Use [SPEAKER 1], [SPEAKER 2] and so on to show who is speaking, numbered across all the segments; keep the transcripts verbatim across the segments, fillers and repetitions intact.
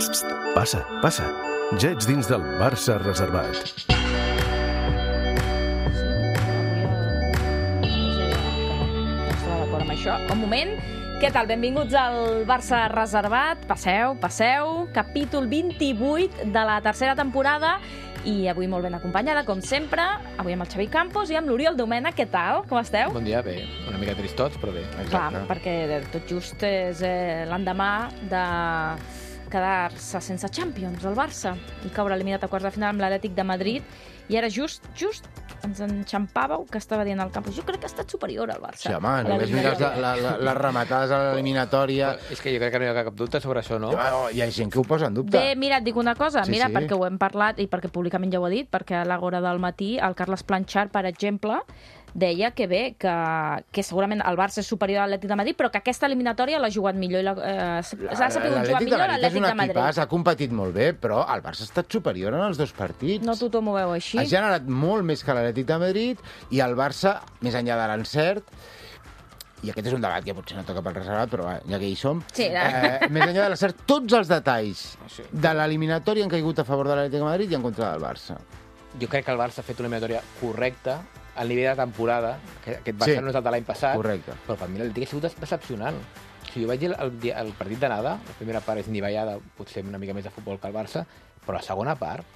[SPEAKER 1] Psst, passa, passa. Ja ets dins del Barça reservat.
[SPEAKER 2] Això. Un moment. Què tal? Benvinguts al Barça reservat. Passeu, passeu. Capítol vint-i-vuit de la tercera temporada. I avui molt ben acompanyada, com sempre. Avui amb el Xavi Campos i amb l'Oriol Domènech. Què tal? Com esteu?
[SPEAKER 3] Bon dia, bé. Una mica tristots, però bé.
[SPEAKER 2] Exacte. Clar, perquè tot just és eh, l'endemà de quedar-se sense Champions, el Barça, i caure eliminat a quarts de final amb l'Atlètic de Madrid. I ara just, just ens enxampàveu que estava dient al campus. Jo crec que ha estat superior al Barça.
[SPEAKER 4] Sí, home, només mires la, la, la, les rematades a l'eliminatòria.
[SPEAKER 3] És que jo crec que no hi ha cap dubte sobre això, no?
[SPEAKER 4] Oh, hi ha gent que ho posa en dubte.
[SPEAKER 2] Bé, mira, et dic una cosa.
[SPEAKER 4] Sí,
[SPEAKER 2] mira,
[SPEAKER 4] sí.
[SPEAKER 2] perquè ho hem parlat i perquè públicament ja ho he dit, perquè a l'hora del matí el Carles Planchard, per exemple, deia que bé, que, que segurament el Barça és superior a l'Atlètic de Madrid, però que aquesta eliminatòria l'ha jugat millor i l'ha eh, sabut jugar millor a l'Atlètic de Madrid.
[SPEAKER 4] L'Atlètic ha competit molt bé, però el Barça ha estat superior en els dos partits.
[SPEAKER 2] No tothom ho veu així.
[SPEAKER 4] Ha generat molt més que l'Atlètic de Madrid i el Barça, més enllà de l'encert, i aquest és un debat que potser no toca pel reservat, però ja que hi som,
[SPEAKER 2] sí,
[SPEAKER 4] eh, més enllà de l'encert, tots els detalls
[SPEAKER 3] sí.
[SPEAKER 4] de l'eliminatòria han caigut a favor de l'Atlètic de Madrid i en contra del Barça.
[SPEAKER 3] Jo crec que el Barça ha fet una eliminatòria correcta al nivell de temporada, que aquest Barça sí, no és el de l'any passat,
[SPEAKER 4] correcte.
[SPEAKER 3] Però per mi l'Atlètic ha sigut decepcionant. O sigui, jo vaig dir el, el, el partit d'anada, la primera part és nivellada, potser una mica més de futbol que el Barça, però la segona part,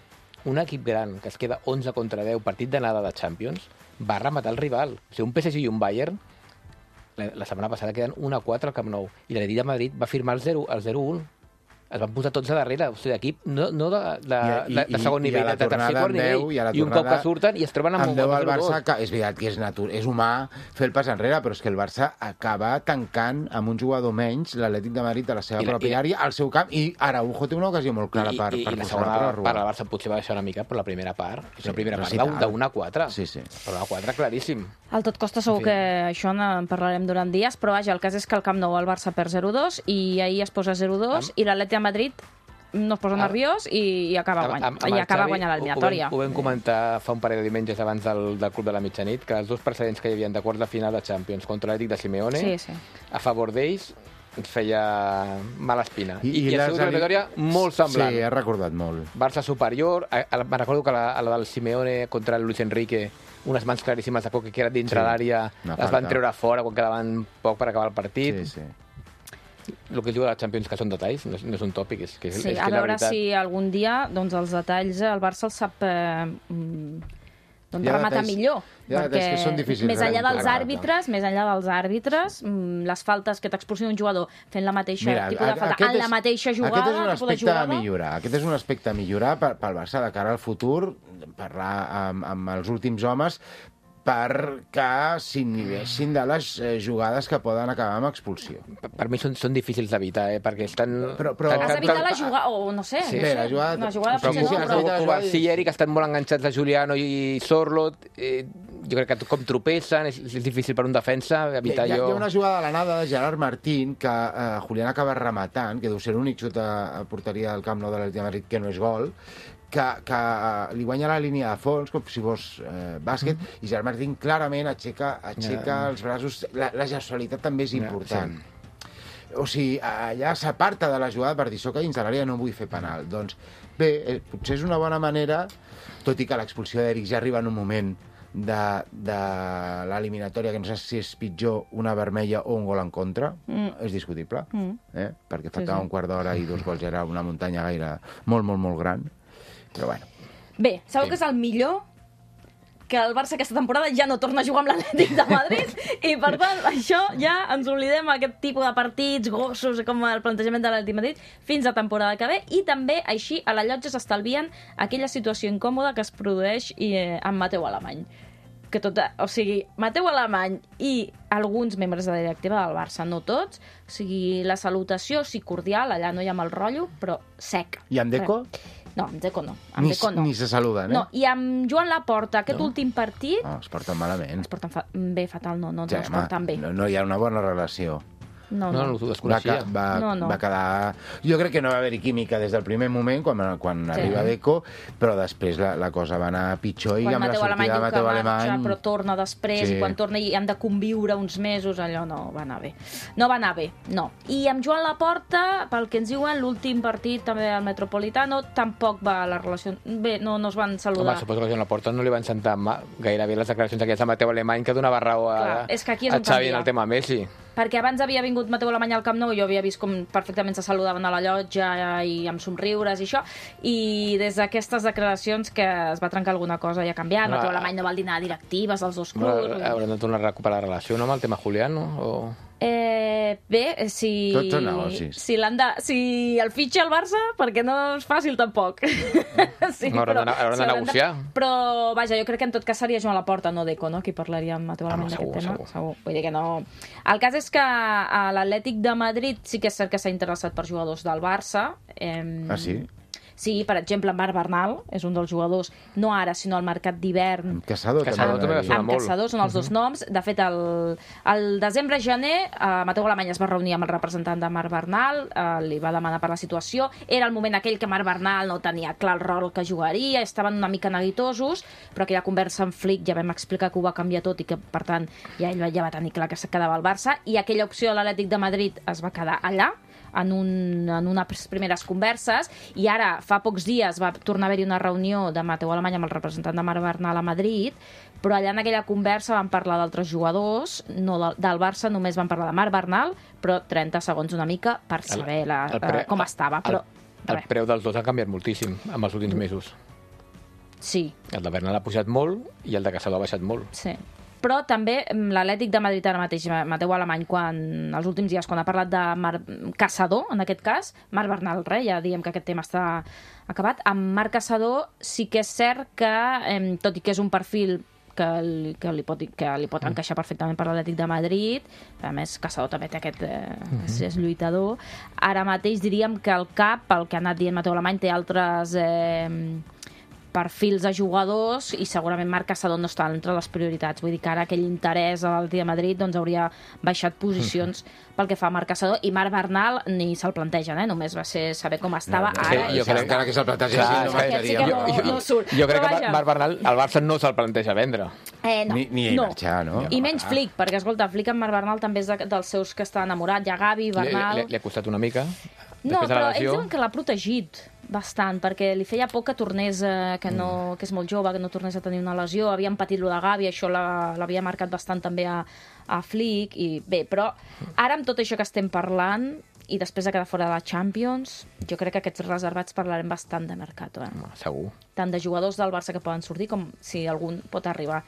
[SPEAKER 3] un equip gran que es queda onze contra deu, partit d'anada de Champions, va rematar el rival. O sigui, un P S G i un Bayern, la, la setmana passada queden un a quatre al Camp Nou, i l'Atlètic de Madrid va firmar el zero un. Es van posar tots a darrere, o sigui, d'equip, no, no de, de, I, i, de segon nivell, de tercer quart nivell, i, i un cop que surten i es troben amb,
[SPEAKER 4] amb deu al Barça, que és veritat que és, natur, és humà fer el pas enrere, però és que el Barça acaba tancant amb un jugador menys l'Atlètic de Madrid a la seva I, pròpia i, àrea, al seu camp, i Araujo té una ocasió molt clara
[SPEAKER 3] i,
[SPEAKER 4] per,
[SPEAKER 3] i,
[SPEAKER 4] per
[SPEAKER 3] i la segona part del Barça potser va deixar una mica, però la primera part, és sí, una primera part sí, d'un a quatre,
[SPEAKER 4] sí, sí.
[SPEAKER 3] però una a quatre claríssim.
[SPEAKER 2] Al tot costa segur que això en parlarem durant dies, però vaja, el cas és que al Camp Nou el Barça perd zero dos i ahir es posa zero dos i l'Atlètic de Madrid no es posa nerviós i, i acaba, guany, amb, amb i acaba guanyant l'eliminatòria.
[SPEAKER 3] Ho, ho vam comentar fa un parell de diumenges abans del, del Club de la Mitjanit, que els dos precedents que hi havia de quart de final de Champions contra l'Atlètic de Simeone,
[SPEAKER 2] sí, sí.
[SPEAKER 3] a favor d'ells, ens feia mala espina.
[SPEAKER 4] I,
[SPEAKER 3] I, i, i ha sigut una eliminatòria molt semblant.
[SPEAKER 4] Sí, ha recordat molt.
[SPEAKER 3] Barça superior. A, a, me recordo que la, a la del Simeone contra el Luis Enrique, unes mans claríssimes de Coque que era dintre sí, l'àrea, les van treure fora quan quedaven poc per acabar el partit.
[SPEAKER 4] Sí, sí.
[SPEAKER 3] El que es diu a la Champions, que són detalls, no és, no és un tòpic. És que,
[SPEAKER 2] sí,
[SPEAKER 3] és
[SPEAKER 2] a
[SPEAKER 3] que
[SPEAKER 2] veure
[SPEAKER 3] veritat...
[SPEAKER 2] si algun dia doncs, els detalls el Barça els sap eh, doncs, rematar detalls, millor. Perquè
[SPEAKER 4] que són difícils,
[SPEAKER 2] més enllà dels àrbitres, més enllà dels àrbitres, les faltes que t'expulsin un jugador fent la mateixa Mira, tipus de falta en la mateixa jugada...
[SPEAKER 4] Aquest és un aspecte a millorar. Aquest és un aspecte a millorar pel Barça de cara al futur, parlar amb, amb els últims homes, perquè s'inhibeixin de les eh, jugades que poden acabar amb expulsió.
[SPEAKER 3] Per, per mi són, són difícils d'evitar, eh? Perquè estan...
[SPEAKER 4] Però, però...
[SPEAKER 2] Has d'evitar la jugada, o no sé,
[SPEAKER 3] sí.
[SPEAKER 2] no sé.
[SPEAKER 4] La jugada...
[SPEAKER 2] La jugada
[SPEAKER 3] però,
[SPEAKER 2] potser no,
[SPEAKER 3] però... Kovacic i Eric estan molt enganxats a Juliano i Sorloth. Eh, jo crec que com tropessen, és, és difícil per un defensa evitar
[SPEAKER 4] hi ha,
[SPEAKER 3] jo...
[SPEAKER 4] Hi ha una jugada a l'anada de Gerard Martín que eh, Julián acaba rematant, que deu ser l'únic xut a porteria del Camp Nou de l'Atlètic de Madrid que no és gol, que, que uh, li guanya la línia de fons, com si fos uh, bàsquet, mm. i Gerard Martín clarament aixeca, aixeca yeah. els braços. La, la gestualitat també és important. Yeah, sí. O sigui, allà s'aparta de la jugada per dir soc a dins de l'àrea, no vull fer penal. Mm. Doncs bé, eh, potser és una bona manera, tot i que l'expulsió d'Eric ja arriba en un moment de, de l'eliminatòria, que no sé si és pitjor una vermella o un gol en contra, mm. és discutible, mm. eh? perquè faltava sí, sí. un quart d'hora i dos gols era una muntanya gaire molt, molt, molt gran. Però bueno.
[SPEAKER 2] Bé, sabeu sí. que és el millor? Que el Barça aquesta temporada ja no torna a jugar amb l'Atlètic de Madrid i, per tant, això ja ens oblidem aquest tipus de partits gossos com el plantejament de l'Atlètic de Madrid fins a temporada que ve, i també així a la llotja s'estalvien aquella situació incòmoda que es produeix eh, amb Mateu Alemany. Que tot, o sigui, Mateu Alemany i alguns membres de la directiva del Barça, no tots, o sigui, la salutació sí cordial, allà no hi ha mal rotllo, però sec.
[SPEAKER 4] I amb Deco?
[SPEAKER 2] Eh. No, amb Deco no. Amb
[SPEAKER 4] ni,
[SPEAKER 2] Deco no.
[SPEAKER 4] Ni se saluden, eh?
[SPEAKER 2] No, i amb Joan Laporta, aquest
[SPEAKER 4] no.
[SPEAKER 2] últim partit...
[SPEAKER 4] No, es porten malament.
[SPEAKER 2] Es porten fa... bé, fatal, no, no,
[SPEAKER 4] sí,
[SPEAKER 2] no es porten bé.
[SPEAKER 4] No, no hi ha una bona relació.
[SPEAKER 2] No,
[SPEAKER 3] No,
[SPEAKER 2] no.
[SPEAKER 3] no, ho
[SPEAKER 4] Va,
[SPEAKER 3] desconeixia.
[SPEAKER 4] ca- va,
[SPEAKER 2] No, no.
[SPEAKER 4] va quedar... Jo crec que no va haver-hi química des del primer moment, quan, quan
[SPEAKER 2] Sí.
[SPEAKER 4] arriba Deco, però després la, la cosa va anar pitjor i
[SPEAKER 2] Quan
[SPEAKER 4] amb la
[SPEAKER 2] Mateu Alemany
[SPEAKER 4] sortida de
[SPEAKER 2] diu que
[SPEAKER 4] Mateu
[SPEAKER 2] marxa,
[SPEAKER 4] Alemany...
[SPEAKER 2] però torna després,
[SPEAKER 4] Sí.
[SPEAKER 2] i quan torna i han de conviure uns mesos, allò no va anar bé. No va anar bé, no. I amb Joan Laporta, pel que ens diuen, l'últim partit també al Metropolitano, tampoc va la relació... Bé, no, no es van saludar.
[SPEAKER 3] Home, suposo que a Joan Laporta no li van sentar ma- gairebé les declaracions aquestes de Mateu Alemany, que donava raó a,
[SPEAKER 2] Clar, és que aquí és
[SPEAKER 3] a
[SPEAKER 2] on
[SPEAKER 3] Xavi
[SPEAKER 2] canvia.
[SPEAKER 3] en el tema Messi.
[SPEAKER 2] Perquè abans havia vingut Mateu Alemany al Camp Nou i jo havia vist com perfectament se saludaven a la llotja i amb somriures i això, i des d'aquestes declaracions que es va trencar alguna cosa i ha canviat.
[SPEAKER 3] No,
[SPEAKER 2] Mateu Alemany no va al dinar a directives dels dos
[SPEAKER 3] Bueno,
[SPEAKER 2] clubs.
[SPEAKER 3] hauran de tornar a recuperar la relació, no?, amb el tema Julián, no? O...
[SPEAKER 2] Eh, bé, si...
[SPEAKER 4] Tots són negocis.
[SPEAKER 2] Si, l'han de, si el fitxa el Barça, perquè no és fàcil tampoc. sí,
[SPEAKER 3] No, hauran de- hauran de
[SPEAKER 2] s'hauran
[SPEAKER 3] negociar.
[SPEAKER 2] Però, vaja, jo crec que en tot cas seria Joan Laporta, no Deco, no?, qui parlaria amb Mateu Alemany
[SPEAKER 3] Home,
[SPEAKER 2] d'aquest
[SPEAKER 3] segur,
[SPEAKER 2] tema.
[SPEAKER 3] segur.
[SPEAKER 2] Vull dir que no... El cas és que a l'Atlètic de Madrid sí que és cert que s'ha interessat per jugadors del Barça. Eh,
[SPEAKER 4] Ah, sí?
[SPEAKER 2] Sí, per exemple, Marc Bernal és un dels jugadors, no ara, sinó al mercat d'hivern.
[SPEAKER 4] Caçador,
[SPEAKER 3] Caçador també va
[SPEAKER 4] també.
[SPEAKER 3] sonar
[SPEAKER 2] Amb
[SPEAKER 3] molt.
[SPEAKER 2] Caçador, són els dos noms. De fet, el, el desembre-gener, eh, Mateu Alemany es va reunir amb el representant de Marc Bernal, eh, li va demanar per la situació. Era el moment aquell que Marc Bernal no tenia clar el rol que jugaria, estaven una mica neguitosos, però aquella conversa amb Flick ja vam explicar que ho va canviar tot i que, per tant, ja ell ja va tenir clar que se quedava al Barça, i aquella opció a l'Atlètic de Madrid es va quedar allà, en, un, en unes primeres converses, i ara, fa pocs dies, va tornar a haver-hi una reunió de Mateu Alemany amb el representant de Marc Bernal a Madrid, però allà en aquella conversa van parlar d'altres jugadors, no del, del Barça, només van parlar de Marc Bernal, però trenta segons una mica per saber la,
[SPEAKER 3] el pre-
[SPEAKER 2] eh, com estava. Però,
[SPEAKER 3] El
[SPEAKER 2] res.
[SPEAKER 3] preu dels dos ha canviat moltíssim amb els últims mesos.
[SPEAKER 2] Sí,
[SPEAKER 3] El de Bernal ha pujat molt i el de Caçador ha baixat molt.
[SPEAKER 2] sí. Però també mm, l'Atlètic de Madrid ara mateix, Mateu Alemany, quan els últims dies, quan ha parlat de Mar... Caçador, en aquest cas, Marc Bernal, res, ja diem que aquest tema està acabat. Amb Marc Caçador sí que és cert que, eh, tot i que és un perfil que li, que li pot, que li pot encaixar perfectament per l'Atlètic de Madrid, a més Caçador també té aquest, eh, és, és lluitador, ara mateix diríem que el cap, el que ha anat dient Mateu Alemany, té altres... Eh, perfils de jugadors i segurament Marc Caçador no està entre les prioritats. Vull dir que ara aquell interès a l'Atlètic de Madrid doncs hauria baixat posicions pel que fa a Marc Caçador, i Marc Bernal ni se'l plantegen, eh? Només va ser saber com estava
[SPEAKER 4] No, no,
[SPEAKER 2] ara.
[SPEAKER 3] sí,
[SPEAKER 2] i
[SPEAKER 3] jo
[SPEAKER 2] ja
[SPEAKER 3] crec-
[SPEAKER 2] està.
[SPEAKER 4] Encara que se'l plantegés
[SPEAKER 3] Clar,
[SPEAKER 4] així, no
[SPEAKER 3] és que-
[SPEAKER 2] Aquest sí
[SPEAKER 4] marxaria.
[SPEAKER 2] que no,
[SPEAKER 3] Jo-
[SPEAKER 2] no surt.
[SPEAKER 3] Jo crec
[SPEAKER 2] Però
[SPEAKER 3] que
[SPEAKER 2] vaja.
[SPEAKER 3] Marc Bernal, el Barça no se'l planteja vendre.
[SPEAKER 2] Eh, no,
[SPEAKER 4] Ni- ni ell
[SPEAKER 2] no.
[SPEAKER 4] marxar, no?
[SPEAKER 2] I menys Flick, perquè, escolta, Flick amb Marc Bernal també és de, dels seus que està enamorat. Hi ha Gavi,
[SPEAKER 3] Li,
[SPEAKER 2] Bernal...
[SPEAKER 3] li, li ha costat una mica.
[SPEAKER 2] No,
[SPEAKER 3] Després de
[SPEAKER 2] però
[SPEAKER 3] la
[SPEAKER 2] ells
[SPEAKER 3] lesió...
[SPEAKER 2] diuen que l'ha protegit bastant, perquè li feia por que tornés, eh, que, no, que és molt jove, que no tornés a tenir una lesió. Havien patit lo de Gavi, això la- l'havia marcat bastant també a, a Flick. I bé, però ara amb tot això que estem parlant, i després de quedar fora de la Champions, jo crec que aquests reservats parlarem bastant de mercat, eh?
[SPEAKER 3] Home, segur.
[SPEAKER 2] Tant de jugadors del Barça que poden sortir com si algun pot arribar.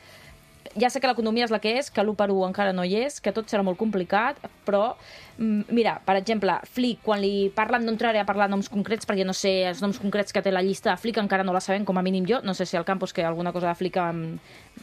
[SPEAKER 2] Ja sé que l'economia és la que és, que l'u per u encara no hi és, que tot serà molt complicat, però, mm, mira, per exemple, Flick, quan li parlen, no entraré a parlar noms concrets, perquè no sé els noms concrets que té la llista de Flick, encara no la sabem, com a mínim jo, no sé si al Campos, que alguna cosa de Flick em,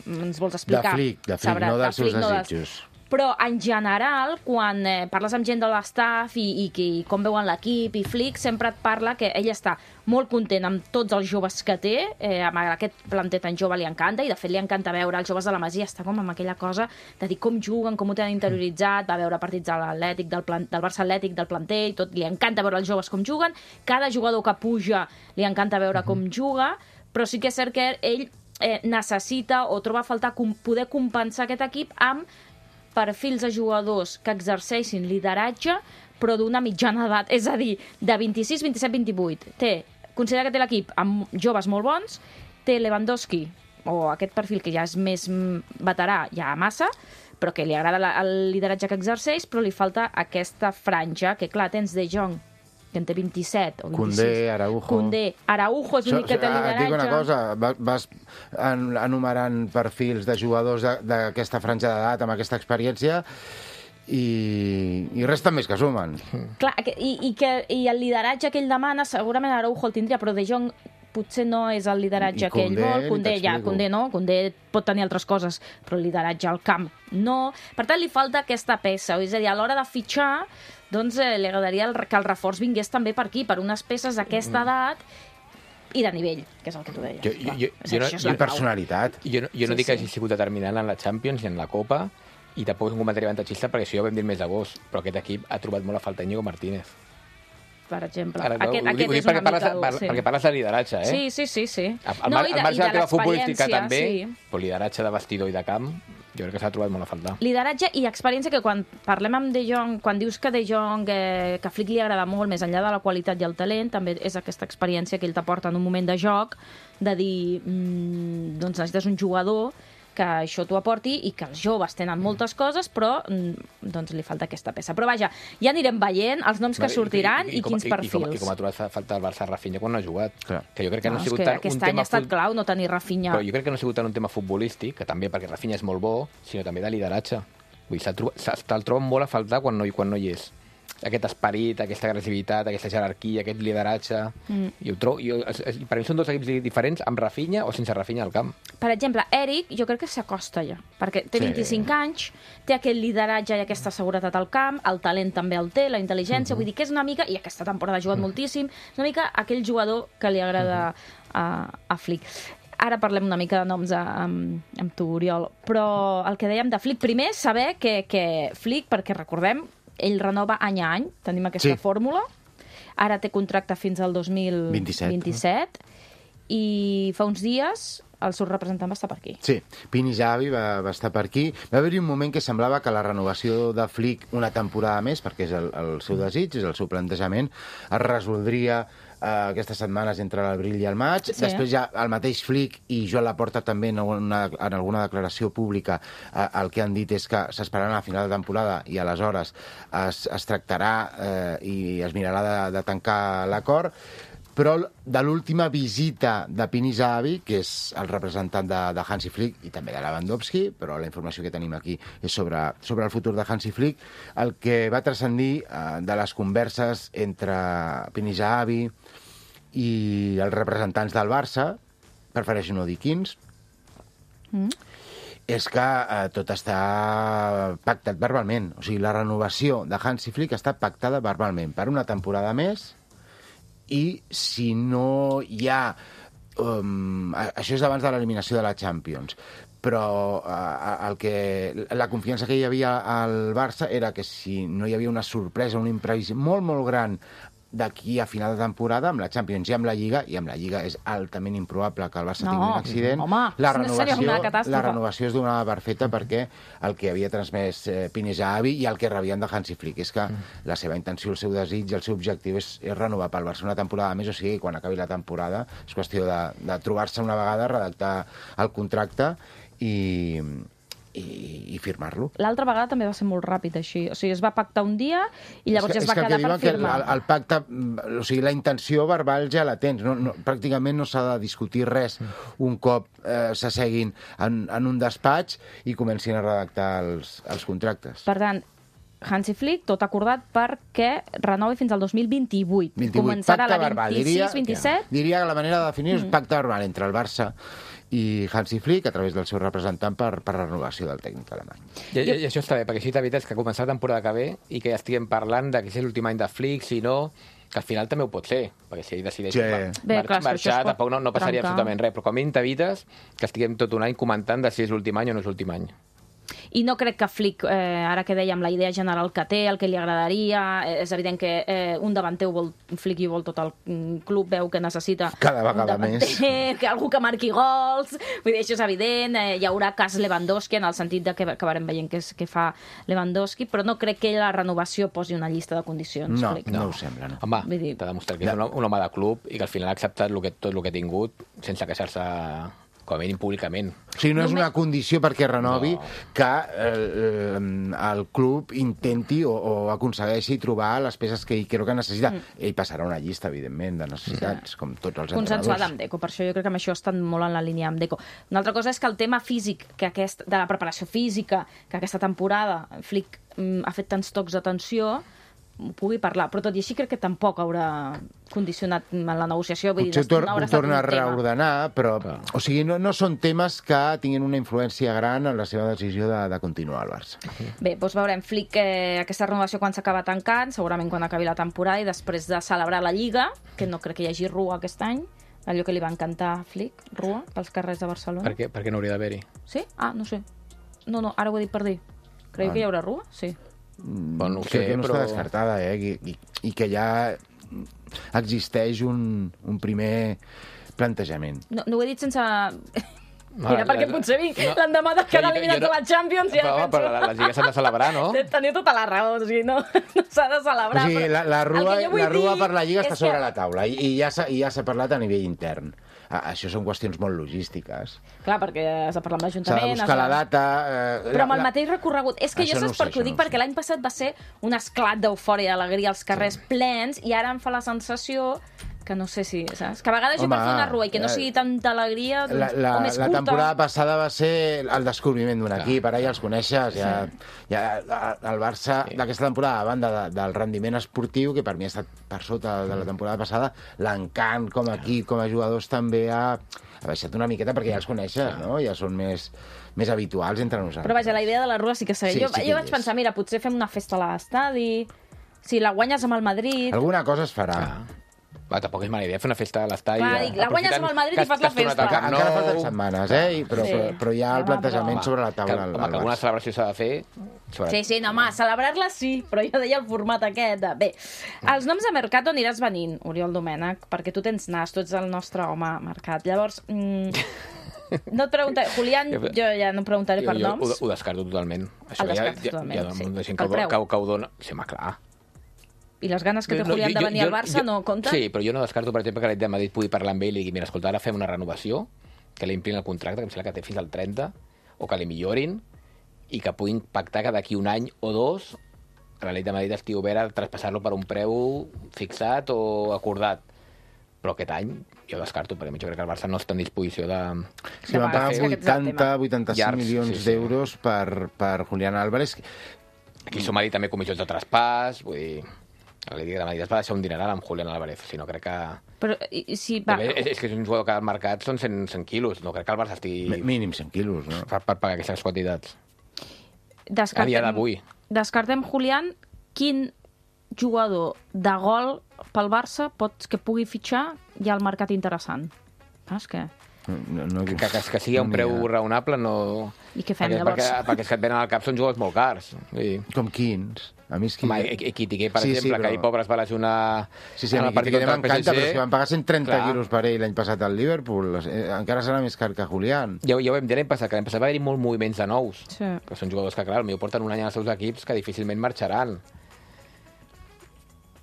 [SPEAKER 2] ens vols
[SPEAKER 4] De
[SPEAKER 2] explicar.
[SPEAKER 4] Flick, de Flick,
[SPEAKER 2] sabrà.
[SPEAKER 4] no dels
[SPEAKER 2] De
[SPEAKER 4] seus
[SPEAKER 2] Flick, no dels-
[SPEAKER 4] desitjos.
[SPEAKER 2] Però, en general, quan eh, parles amb gent de l'estaf i, i, i com veuen l'equip, i Flick sempre et parla que ell està molt content amb tots els joves que té, eh, amb aquest planter tan jove li encanta, i de fet li encanta veure els joves de la Masia, està com amb aquella cosa de dir com juguen, com ho tenen interioritzat, va veure partits de l'Atlètic, del, plan, del Barça Atlètic, del planter, i tot, li encanta veure els joves com juguen, cada jugador que puja li encanta veure com juga, però sí que és cert que ell eh, necessita o troba a faltar com, poder compensar aquest equip amb perfils de jugadors que exerceixin lideratge, però d'una mitjana edat, és a dir, de vint-i-sis, vint-i-set, vint-i-vuit. Té, considera que té l'equip amb joves molt bons, té Lewandowski, o aquest perfil que ja és més mm, veterà, ja massa, però que li agrada la, el lideratge que exerceix, però li falta aquesta franja, que clar, tens De Jong, que en té vint-i-set o vint-i-sis.
[SPEAKER 4] Condé, Araujo.
[SPEAKER 2] Condé, Araujo és l'únic que té
[SPEAKER 4] Ah, et
[SPEAKER 2] lideratge.
[SPEAKER 4] dic una cosa, va- vas en- enumerant perfils de jugadors de- d'aquesta franja d'edat, amb aquesta experiència, i, i resten més que sumen.
[SPEAKER 2] Clar, que- i, i, que, i el lideratge que ell demana, segurament Araujo el tindria, però De Jong potser no és el lideratge
[SPEAKER 4] I
[SPEAKER 2] que ell
[SPEAKER 4] Koundé,
[SPEAKER 2] vol.
[SPEAKER 4] ni
[SPEAKER 2] Koundé, ja,
[SPEAKER 4] t'explico.
[SPEAKER 2] Koundé no, Koundé pot tenir altres coses, però el lideratge al camp no. Per tant, li falta aquesta peça, és a dir, a l'hora de fitxar, doncs eh, li agradaria el, que el reforç vingués també per aquí, per unes peces d'aquesta edat i de nivell, que és el que tu deies.
[SPEAKER 3] Jo-
[SPEAKER 2] clar.
[SPEAKER 3] jo-
[SPEAKER 2] És
[SPEAKER 3] jo no-
[SPEAKER 2] això és
[SPEAKER 4] I
[SPEAKER 2] la clau.
[SPEAKER 4] personalitat.
[SPEAKER 3] Jo, no- jo no
[SPEAKER 2] Sí,
[SPEAKER 3] dic que
[SPEAKER 2] sí.
[SPEAKER 3] hagi sigut determinant en la Champions ni en la Copa, I tampoc és un comentari avantatgista perquè això ja ho vam dir el mes d'agost, però aquest equip ha trobat molt a falta Íñigo Martínez.
[SPEAKER 2] Per exemple.
[SPEAKER 3] Ara,
[SPEAKER 2] aquest
[SPEAKER 3] ho,
[SPEAKER 2] aquest
[SPEAKER 3] ho dic
[SPEAKER 2] és una
[SPEAKER 3] parles,
[SPEAKER 2] mica dur,
[SPEAKER 3] per,
[SPEAKER 2] sí.
[SPEAKER 3] Perquè parles de lideratge, eh?
[SPEAKER 2] Sí, sí, sí. sí.
[SPEAKER 3] Al,
[SPEAKER 2] No,
[SPEAKER 3] mar,
[SPEAKER 2] i de-
[SPEAKER 3] al marge
[SPEAKER 2] i de
[SPEAKER 3] de la teva futbolística
[SPEAKER 2] l'experiència,
[SPEAKER 3] també,
[SPEAKER 2] sí.
[SPEAKER 3] però lideratge de vestidor i de camp, jo crec que s'ha trobat molt a faltar.
[SPEAKER 2] Lideratge i experiència que quan parlem amb De Jong, quan dius que De Jong, eh, que a Flick li agrada molt, més enllà de la qualitat i el talent, també és aquesta experiència que ell t'aporta en un moment de joc, de dir, mm, doncs necessites un jugador que això t'ho aporti i que els joves tenen moltes coses, però mm, doncs li falta aquesta peça. Però vaja, ja anirem veient els noms que sortiran i, i, i, i quins
[SPEAKER 3] com,
[SPEAKER 2] perfils.
[SPEAKER 3] I com, i com ha trobat falta el Barça Rafinha quan no ha jugat.
[SPEAKER 4] Clar.
[SPEAKER 3] Que jo crec que no,
[SPEAKER 2] No,
[SPEAKER 3] ha
[SPEAKER 2] és
[SPEAKER 3] sigut
[SPEAKER 2] que
[SPEAKER 3] tant
[SPEAKER 2] aquest
[SPEAKER 3] un
[SPEAKER 2] any
[SPEAKER 3] tema
[SPEAKER 2] ha estat
[SPEAKER 3] fut-
[SPEAKER 2] clau no tenir Rafinha.
[SPEAKER 3] Però jo crec que no ha sigut tant un tema futbolístic, que també perquè Rafinha és molt bo, sinó també de lideratge. Vull dir, se'l troba- se- te'l troben molt a faltar quan no, quan no hi és. Aquest esperit, aquesta agressivitat, aquesta jerarquia, aquest lideratge... Mm. I ho trobo, jo, es, es, per mi són dos equips diferents, amb Rafinha o sense Rafinha al camp.
[SPEAKER 2] Per exemple, Eric, jo crec que s'acosta ja, perquè té
[SPEAKER 3] Sí.
[SPEAKER 2] vint-i-cinc anys, té aquest lideratge i aquesta seguretat al camp, el talent també el té, la intel·ligència, mm -hmm. vull dir que és una mica, i aquesta temporada ha jugat mm -hmm. moltíssim, és una mica aquell jugador que li agrada mm -hmm. a, a Flick. Ara parlem una mica de noms a, amb, amb tu, Oriol, però el que dèiem de Flick, primer és saber que, que Flick, perquè recordem, ell renova any a any, tenim aquesta
[SPEAKER 4] Sí.
[SPEAKER 2] fórmula, ara té contracte fins al dos mil vint-i-set, i fa uns dies el seu representant va estar per aquí.
[SPEAKER 4] Sí, Pini Xavi va, va estar per aquí. Va haver-hi un moment que semblava que la renovació de Flick una temporada més, perquè és el, el seu desig, és el seu plantejament, es resoldria eh, aquestes setmanes entre l'abril i el maig.
[SPEAKER 2] Sí.
[SPEAKER 4] Després ja el mateix Flick i Joan Laporta també en, una, en alguna declaració pública eh, el que han dit és que s'esperaran a final de temporada i aleshores es, es tractarà eh, i es mirarà de, de tancar l'acord. Però de l'última visita de Pini Zahavi, que és el representant de, de Hansi Flick i també de Lewandowski, però la informació que tenim aquí és sobre, sobre el futur de Hansi Flick, el que va transcendir eh, de les converses entre Pini Zahavi i els representants del Barça, prefereixo no dir quins, mm. és que eh, tot està pactat verbalment. O sigui, la renovació de Hansi Flick està pactada verbalment per una temporada més. I si no hi ha... Um, això és abans de l'eliminació de la Champions, però uh, el que, la confiança que hi havia al Barça era que si no hi havia una sorpresa, un imprevist molt, molt gran d'aquí a final de temporada, amb la Champions i amb la Lliga, i amb la Lliga és altament improbable que el Barça
[SPEAKER 2] No,
[SPEAKER 4] tingui un accident,
[SPEAKER 2] home,
[SPEAKER 4] la,
[SPEAKER 2] seria
[SPEAKER 4] renovació,
[SPEAKER 2] una catàstrofe.
[SPEAKER 4] la renovació es donava per feta perquè el que havia transmès eh, Pini Zahavi i el que rebien de Hansi Flick és que mm. la seva intenció, el seu desig, el seu objectiu és, és renovar pel Barça una temporada més, o sigui, quan acabi la temporada és qüestió de, de trobar-se una vegada, redactar el contracte i... i, i firmar-lo.
[SPEAKER 2] L'altra vegada també va ser molt ràpid, així. O sigui, es va pactar un dia i llavors
[SPEAKER 4] és que,
[SPEAKER 2] ja es va
[SPEAKER 4] és que
[SPEAKER 2] quedar per
[SPEAKER 4] que
[SPEAKER 2] firmar.
[SPEAKER 4] el, el pacte, o sigui, la intenció verbal ja la tens. No, no, pràcticament no s'ha de discutir res un cop eh, s'asseguin en, en un despatx i comencin a redactar els, els contractes.
[SPEAKER 2] Per tant, Hansi Flick, tot acordat perquè renovi fins al dos mil vint-i-vuit.
[SPEAKER 4] vint-i-vuit.
[SPEAKER 2] Començarà
[SPEAKER 4] Pacte
[SPEAKER 2] la
[SPEAKER 4] verbal.
[SPEAKER 2] vint-i-sis vint-i-set.
[SPEAKER 4] Diria que la manera de definir és mm. pacte verbal entre el Barça i Hansi Flick a través del seu representant per, per la renovació del tècnic alemany.
[SPEAKER 3] I, i, i això està bé, perquè així t'evites que començar la temporada que ve i que ja estiguem parlant de que si és l'últim any de Flick, si no, que al final també ho pot ser, perquè si ell decideix
[SPEAKER 4] Sí.
[SPEAKER 3] mar
[SPEAKER 2] Bé,
[SPEAKER 3] mar
[SPEAKER 2] clar, és que
[SPEAKER 3] marxar,
[SPEAKER 2] això es pot
[SPEAKER 3] tampoc no, no passaria
[SPEAKER 2] trencar.
[SPEAKER 3] absolutament res, però com a mínim t'evites que estiguem tot un any comentant de si és l'últim any o no és l'últim any.
[SPEAKER 2] I no crec que Flick, eh, ara que dèiem, la idea general que té, el que li agradaria, eh, és evident que eh, un davanter ho vol, Flick i vol tot el mm, club, veu que necessita
[SPEAKER 4] Cada vegada
[SPEAKER 2] un davanter,
[SPEAKER 4] més.
[SPEAKER 2] que algú que marqui gols, vull dir, això és evident, eh, hi haurà cas Lewandowski en el sentit de que acabarem veient què, és, què fa Lewandowski, però no crec que la renovació posi una llista de condicions,
[SPEAKER 4] No,
[SPEAKER 2] Flick.
[SPEAKER 4] no ho sembla, no.
[SPEAKER 3] Home,
[SPEAKER 2] Vull dir-
[SPEAKER 3] t'ha demostrat que és un, un home de club i que al final ha acceptat lo que, tot el que ha tingut sense queixar-se com a mínim públicament.
[SPEAKER 4] O sigui, no és una condició perquè renovi
[SPEAKER 3] No.
[SPEAKER 4] que eh, el club intenti o, o aconsegueixi trobar les peces que ell creu que necessita. Mm. Ell passarà una llista, evidentment, de necessitats, sí. com tots els
[SPEAKER 2] Consensuada
[SPEAKER 4] entrenadors.
[SPEAKER 2] amb Deco, per això jo crec que amb això estan molt en la línia amb Deco. Una altra cosa és que el tema físic, que aquest, de la preparació física, que aquesta temporada Flick mm, ha fet tants tocs d'atenció, pugui parlar, però tot i així crec que tampoc haurà condicionat en la negociació. Vull
[SPEAKER 4] Potser
[SPEAKER 2] dir,
[SPEAKER 4] tor
[SPEAKER 2] no haurà
[SPEAKER 4] ho
[SPEAKER 2] estat
[SPEAKER 4] torna a
[SPEAKER 2] un tema.
[SPEAKER 4] reordenar, però o sigui, no, no són temes que tinguin una influència gran en la seva decisió de, de continuar al Barça.
[SPEAKER 2] Bé, doncs veurem Flick eh, aquesta renovació quan s'acaba tancant, segurament quan acabi la temporada i després de celebrar la Lliga, que no crec que hi hagi rua aquest any, allò que li va encantar a Flick, rua, pels carrers de Barcelona.
[SPEAKER 3] Per què, per què no hauria d'haver-hi?
[SPEAKER 2] Sí? Ah, no sé. No, no, ara ho he dit per dir. Creieu
[SPEAKER 4] Ah.
[SPEAKER 2] que hi haurà rua? Sí.
[SPEAKER 3] Bueno, no ho
[SPEAKER 4] Crec
[SPEAKER 3] sé,
[SPEAKER 4] que no
[SPEAKER 3] però...
[SPEAKER 4] està descartada, eh? I, i, i que ja existeix un, un primer plantejament.
[SPEAKER 2] No, no ho he dit sense...
[SPEAKER 3] No,
[SPEAKER 2] Era perquè
[SPEAKER 3] no,
[SPEAKER 2] potser vinc
[SPEAKER 3] no.
[SPEAKER 2] l'endemà de quedar
[SPEAKER 3] Jo- jo
[SPEAKER 2] eliminats
[SPEAKER 3] no-
[SPEAKER 2] de la Champions i
[SPEAKER 3] Però,
[SPEAKER 2] ara
[SPEAKER 3] home, però
[SPEAKER 2] penso...
[SPEAKER 3] les lligues s'han de celebrar, no?
[SPEAKER 2] Teniu tota la raó, o sigui, no, no s'ha de
[SPEAKER 4] O
[SPEAKER 2] celebrar.
[SPEAKER 4] sigui,
[SPEAKER 2] però
[SPEAKER 4] la, la,
[SPEAKER 2] el
[SPEAKER 4] rua,
[SPEAKER 2] que jo vull
[SPEAKER 4] la rua
[SPEAKER 2] dir
[SPEAKER 4] per la Lliga està
[SPEAKER 2] és
[SPEAKER 4] sobre
[SPEAKER 2] que-
[SPEAKER 4] la taula i, i ja s'ha i ja s'ha parlat a nivell intern. Ah, això són qüestions molt logístiques.
[SPEAKER 2] Clar, perquè has de parlar amb
[SPEAKER 4] S'ha de
[SPEAKER 2] l'Ajuntament...
[SPEAKER 4] buscar
[SPEAKER 2] has
[SPEAKER 4] la
[SPEAKER 2] de-
[SPEAKER 4] data... Eh,
[SPEAKER 2] Però amb el
[SPEAKER 4] la-
[SPEAKER 2] mateix recorregut. És que
[SPEAKER 4] Això
[SPEAKER 2] jo
[SPEAKER 4] no
[SPEAKER 2] saps
[SPEAKER 4] ho sé,
[SPEAKER 2] per què ho
[SPEAKER 4] això
[SPEAKER 2] dic?
[SPEAKER 4] no ho
[SPEAKER 2] Perquè
[SPEAKER 4] sé.
[SPEAKER 2] l'any passat va ser un esclat d'eufòria i d'alegria als carrers plens i ara em fa la sensació que no sé si, saps? Que a vegades jo
[SPEAKER 4] Home,
[SPEAKER 2] per fer una rua i que no
[SPEAKER 4] eh,
[SPEAKER 2] sigui tanta alegria, doncs,
[SPEAKER 4] La, la,
[SPEAKER 2] o més
[SPEAKER 4] la
[SPEAKER 2] curta...
[SPEAKER 4] temporada passada va ser el descobriment d'un equip, ara ja els coneixes, ja, ja el Barça d'aquesta temporada, a banda de, del rendiment esportiu, que per mi ha estat per sota de la temporada passada, l'encant com a equip, com a jugadors també ha, ha baixat una miqueta perquè ja els coneixes, no? Ja són més, més habituals entre nosaltres.
[SPEAKER 2] Però vaja, la idea de la rua sí que segueix.
[SPEAKER 4] Sí,
[SPEAKER 2] jo
[SPEAKER 4] sí que
[SPEAKER 2] jo
[SPEAKER 4] hi
[SPEAKER 2] vaig
[SPEAKER 4] és.
[SPEAKER 2] pensar, mira, potser fem una festa a l'estadi, si la guanyes amb el Madrid...
[SPEAKER 4] Alguna cosa es farà.
[SPEAKER 3] Ah. Va, tampoc és mala idea fer una festa a l'estadi.
[SPEAKER 2] Clar, dic, la guanyes amb el Madrid i fas la festa.
[SPEAKER 4] Encara, encara falten setmanes, eh? I, però,
[SPEAKER 2] Sí.
[SPEAKER 4] però, però hi ha el
[SPEAKER 2] Home,
[SPEAKER 4] plantejament
[SPEAKER 2] però-
[SPEAKER 4] sobre la taula.
[SPEAKER 3] Que,
[SPEAKER 4] al-
[SPEAKER 3] home,
[SPEAKER 4] al
[SPEAKER 3] que alguna
[SPEAKER 4] Barça.
[SPEAKER 3] celebració s'ha de fer... Sobre...
[SPEAKER 2] Sí, sí, no, home, celebrar-la sí, però jo deia el format aquest. De... Bé, els noms de mercat aniràs venint, Oriol Domènech, perquè tu tens nas, tu ets el nostre home mercat. Llavors, mm, no et preguntaré... Julián, jo ja no preguntaré per
[SPEAKER 3] jo, jo
[SPEAKER 2] noms.
[SPEAKER 3] ho, ho descarto totalment.
[SPEAKER 2] El descartes totalment,
[SPEAKER 3] hi ha, hi ha
[SPEAKER 2] sí.
[SPEAKER 3] molta gent
[SPEAKER 2] Pel
[SPEAKER 3] que, ho-
[SPEAKER 2] preu.
[SPEAKER 3] que, ho- que ho dona... Sí, home, clar.
[SPEAKER 2] I les ganes que té Julián de venir al Barça no compten?
[SPEAKER 3] Sí, però jo no descarto, per exemple, que l'Atlètic de Madrid pugui parlar amb ell i digui, mira, escolta, ara fem una renovació, que li implin el contracte, que em sembla que té fins al trenta, o que li millorin, i que puguin pactar que d'aquí un any o dos l'Atlètic de Madrid estigui obert a traspassar-lo per un preu fixat o acordat. Però aquest any jo descarto, perquè jo crec que el Barça no està en disposició de...
[SPEAKER 4] Sí, van pagar
[SPEAKER 2] És que aquest és el
[SPEAKER 4] vuitanta,
[SPEAKER 2] tema.
[SPEAKER 4] vuitanta-cinc
[SPEAKER 3] Llargs,
[SPEAKER 4] milions
[SPEAKER 3] sí, sí.
[SPEAKER 4] d'euros per, per Julián Álvarez.
[SPEAKER 3] Aquí suma-li també comissions de traspàs, vull dir... L'Atlètic de Madrid es va deixar un dineral amb Julián Álvarez, si no crec que...
[SPEAKER 2] Però i, i si va...
[SPEAKER 3] També és, és que és un jugador que al mercat són cent, cent quilos, no crec que el Barça estigui...
[SPEAKER 4] Mi- Mínim cent quilos, no?
[SPEAKER 3] Per, per pagar aquestes quantitats.
[SPEAKER 2] Descartem,
[SPEAKER 3] A dia d'avui.
[SPEAKER 2] Descartem, Julián, quin jugador de gol pel Barça pots que pugui fitxar hi ha el mercat interessant. Saps què?
[SPEAKER 3] Que,
[SPEAKER 4] No, no,
[SPEAKER 3] que, que, que sigui a un
[SPEAKER 4] no n'hi
[SPEAKER 3] preu
[SPEAKER 4] ha.
[SPEAKER 3] raonable no...
[SPEAKER 2] I què fem,
[SPEAKER 3] perquè,
[SPEAKER 2] llavors?
[SPEAKER 3] Perquè, perquè els que et venen al cap són jugadors molt cars. Vull dir,
[SPEAKER 4] Com quins? A mi és que...
[SPEAKER 3] home, Equitiqué, per
[SPEAKER 4] Sí, sí,
[SPEAKER 3] exemple,
[SPEAKER 4] però-
[SPEAKER 3] que ahir pobre es va lesionar
[SPEAKER 4] Sí, sí, a
[SPEAKER 3] en
[SPEAKER 4] mi
[SPEAKER 3] el partit
[SPEAKER 4] que
[SPEAKER 3] contra el
[SPEAKER 4] m'encanta, però és que van pagar cent trenta
[SPEAKER 3] Clar.
[SPEAKER 4] quilos per ell l'any passat al Liverpool. Eh, encara serà més car que Julián.
[SPEAKER 3] Ja, ja ho vam dir l'any passat, que l'any passat va haver-hi molts moviments de nous.
[SPEAKER 2] Sí.
[SPEAKER 3] Que són jugadors que, clar, potser porten un any als seus equips que difícilment marxaran.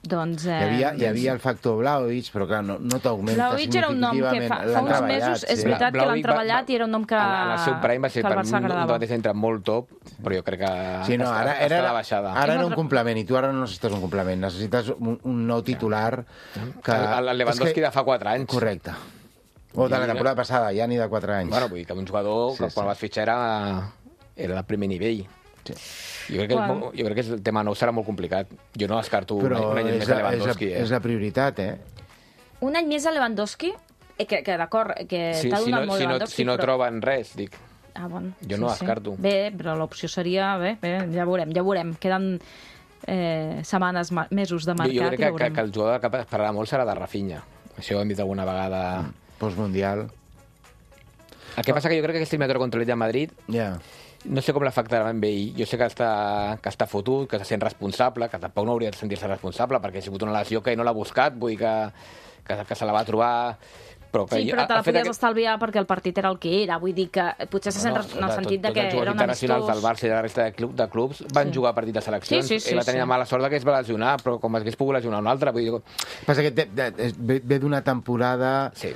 [SPEAKER 2] Doncs... Eh,
[SPEAKER 4] Hi havia, hi havia el factor Vlahovic, però clar, no, no t'augmenta
[SPEAKER 2] Vlahovic era un nom que fa, fa
[SPEAKER 4] L'han
[SPEAKER 2] uns
[SPEAKER 4] treballat,
[SPEAKER 2] mesos, és
[SPEAKER 4] sí.
[SPEAKER 2] veritat que l'han
[SPEAKER 3] Vlahovic va-
[SPEAKER 2] treballat i era un nom que,
[SPEAKER 3] En, en el seu prime va ser
[SPEAKER 2] que
[SPEAKER 3] per
[SPEAKER 2] el
[SPEAKER 3] un,
[SPEAKER 2] Barça
[SPEAKER 3] un
[SPEAKER 2] agradava.
[SPEAKER 3] mateix entre molt top, però jo crec que,
[SPEAKER 4] Sí, no,
[SPEAKER 3] que
[SPEAKER 4] ara,
[SPEAKER 3] està,
[SPEAKER 4] ara,
[SPEAKER 3] està de baixada.
[SPEAKER 4] ara era
[SPEAKER 2] Tinc
[SPEAKER 4] un
[SPEAKER 2] un-
[SPEAKER 4] complement i tu ara no necessites un complement, necessites un, un nou titular que...
[SPEAKER 3] El, el Lewandowski
[SPEAKER 4] és que...
[SPEAKER 3] de fa quatre anys.
[SPEAKER 4] Correcte. O de la temporada passada, ja ni de quatre anys.
[SPEAKER 3] Bueno, vull dir que un jugador
[SPEAKER 4] Sí,
[SPEAKER 3] que quan
[SPEAKER 4] sí.
[SPEAKER 3] vas fitxar era, era de primer nivell.
[SPEAKER 4] Sí.
[SPEAKER 3] Jo crec, que,
[SPEAKER 2] Bueno.
[SPEAKER 3] bueno. jo crec que el tema nou serà molt complicat. Jo no descarto
[SPEAKER 4] Però
[SPEAKER 3] un, un any
[SPEAKER 4] és,
[SPEAKER 3] més de
[SPEAKER 4] la, és, la,
[SPEAKER 3] Lewandowski. eh?
[SPEAKER 4] és la prioritat, eh?
[SPEAKER 2] Un any més a Lewandowski, eh, que, que d'acord, que
[SPEAKER 3] si,
[SPEAKER 2] t'ha
[SPEAKER 3] si,
[SPEAKER 2] donat
[SPEAKER 3] no,
[SPEAKER 2] molt
[SPEAKER 3] si, no,
[SPEAKER 2] Lewandowski,
[SPEAKER 3] si no
[SPEAKER 2] però...
[SPEAKER 3] troben res, dic...
[SPEAKER 2] Ah, bon.
[SPEAKER 3] Jo no descarto.
[SPEAKER 2] Bé, però l'opció seria... Bé, bé, ja veurem, ja veurem. Queden eh, setmanes, ma- mesos de
[SPEAKER 3] Jo,
[SPEAKER 2] mercat
[SPEAKER 3] jo crec
[SPEAKER 2] i
[SPEAKER 3] que, que,
[SPEAKER 2] veurem.
[SPEAKER 3] que el jugador que esperarà molt serà de Rafinha. Això ho hem dit alguna vegada.
[SPEAKER 4] Postmundial.
[SPEAKER 3] El que passa que jo crec que aquesta eliminatòria contra l'Atlètic de Madrid
[SPEAKER 4] Ja.
[SPEAKER 3] no sé com l'afectarà amb ell. Jo sé que està, que està fotut, que se sent responsable, que tampoc no hauria de sentir-se responsable perquè ha sigut una lesió que ell no l'ha buscat, vull dir que, que, que se la va trobar... Però que
[SPEAKER 2] Sí,
[SPEAKER 3] jo-
[SPEAKER 2] però te la
[SPEAKER 3] el fet
[SPEAKER 2] podies
[SPEAKER 3] que-
[SPEAKER 2] estalviar perquè el partit era el que era. Vull dir que potser se sent
[SPEAKER 3] No,
[SPEAKER 2] res- en el
[SPEAKER 3] tot-
[SPEAKER 2] sentit de
[SPEAKER 3] tots
[SPEAKER 2] que
[SPEAKER 3] els jugadors
[SPEAKER 2] era un
[SPEAKER 3] internacionals del
[SPEAKER 2] amistós.
[SPEAKER 3] Barça i de la resta de, club, de clubs van
[SPEAKER 2] Sí.
[SPEAKER 3] jugar partit de seleccions.
[SPEAKER 2] Sí, sí, sí,
[SPEAKER 3] Ell va tenir
[SPEAKER 2] sí.
[SPEAKER 3] la mala sort que es va lesionar, però com hagués pogut lesionar un altre. Vull dir,
[SPEAKER 4] Passa que té, té, ve, ve d'una temporada
[SPEAKER 3] Sí.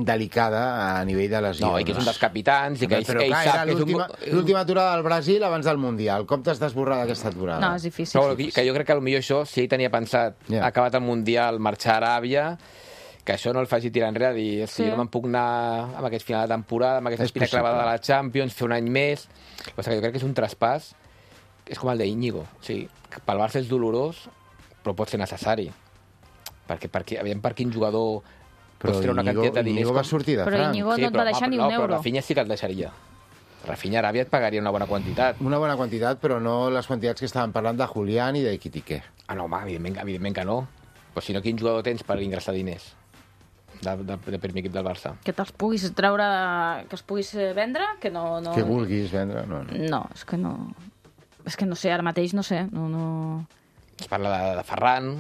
[SPEAKER 4] delicada a nivell de lesions.
[SPEAKER 3] no, i que és un dels capitans i que ell,
[SPEAKER 4] però
[SPEAKER 3] ell
[SPEAKER 4] clar,
[SPEAKER 3] sap
[SPEAKER 4] era
[SPEAKER 3] que és un...
[SPEAKER 4] l'última l'última aturada del Brasil abans del Mundial. Com t'has d'esborrar d'aquesta aturada?
[SPEAKER 2] No, és difícil.
[SPEAKER 3] Però que jo crec que potser això, si ell tenia pensat,
[SPEAKER 4] Ja.
[SPEAKER 3] ha acabat el Mundial, marxar a Aràbia, que això no el faci tirar enrere, dir, si
[SPEAKER 2] Sí.
[SPEAKER 3] jo no me'n puc anar amb aquest final de temporada, amb aquesta
[SPEAKER 4] És
[SPEAKER 3] espina
[SPEAKER 4] possible.
[SPEAKER 3] clavada de la Champions, fer un any més... El que passa que jo crec que és un traspàs, és com el d'Iñigo. O sigui, que pel Barça és dolorós, però pot ser necessari. Perquè, perquè aviam per quin jugador
[SPEAKER 4] Però
[SPEAKER 3] pots treure una
[SPEAKER 4] Íñigo,
[SPEAKER 3] quantitat de diners...
[SPEAKER 4] Íñigo va sortir de
[SPEAKER 2] Però
[SPEAKER 4] franc.
[SPEAKER 2] Íñigo no et va deixar ni un
[SPEAKER 3] no, però
[SPEAKER 2] euro.
[SPEAKER 3] Rafinha sí que el deixaria. Rafinha a Aràbia et pagaria una bona quantitat.
[SPEAKER 4] Una bona quantitat, però no les quantitats que estaven parlant de Julián i de Quitiqué.
[SPEAKER 3] Ah, no, home, evidentment, evidentment que no. Però si no, quin jugador tens per ingressar diners de, de, de primer equip del Barça?
[SPEAKER 2] Que te'ls puguis treure, que els puguis eh, vendre, que no... no...
[SPEAKER 4] Que vulguis vendre, no, no.
[SPEAKER 2] No, és que no... És que no sé, ara mateix no sé. No, no...
[SPEAKER 3] Es parla de, de Ferran,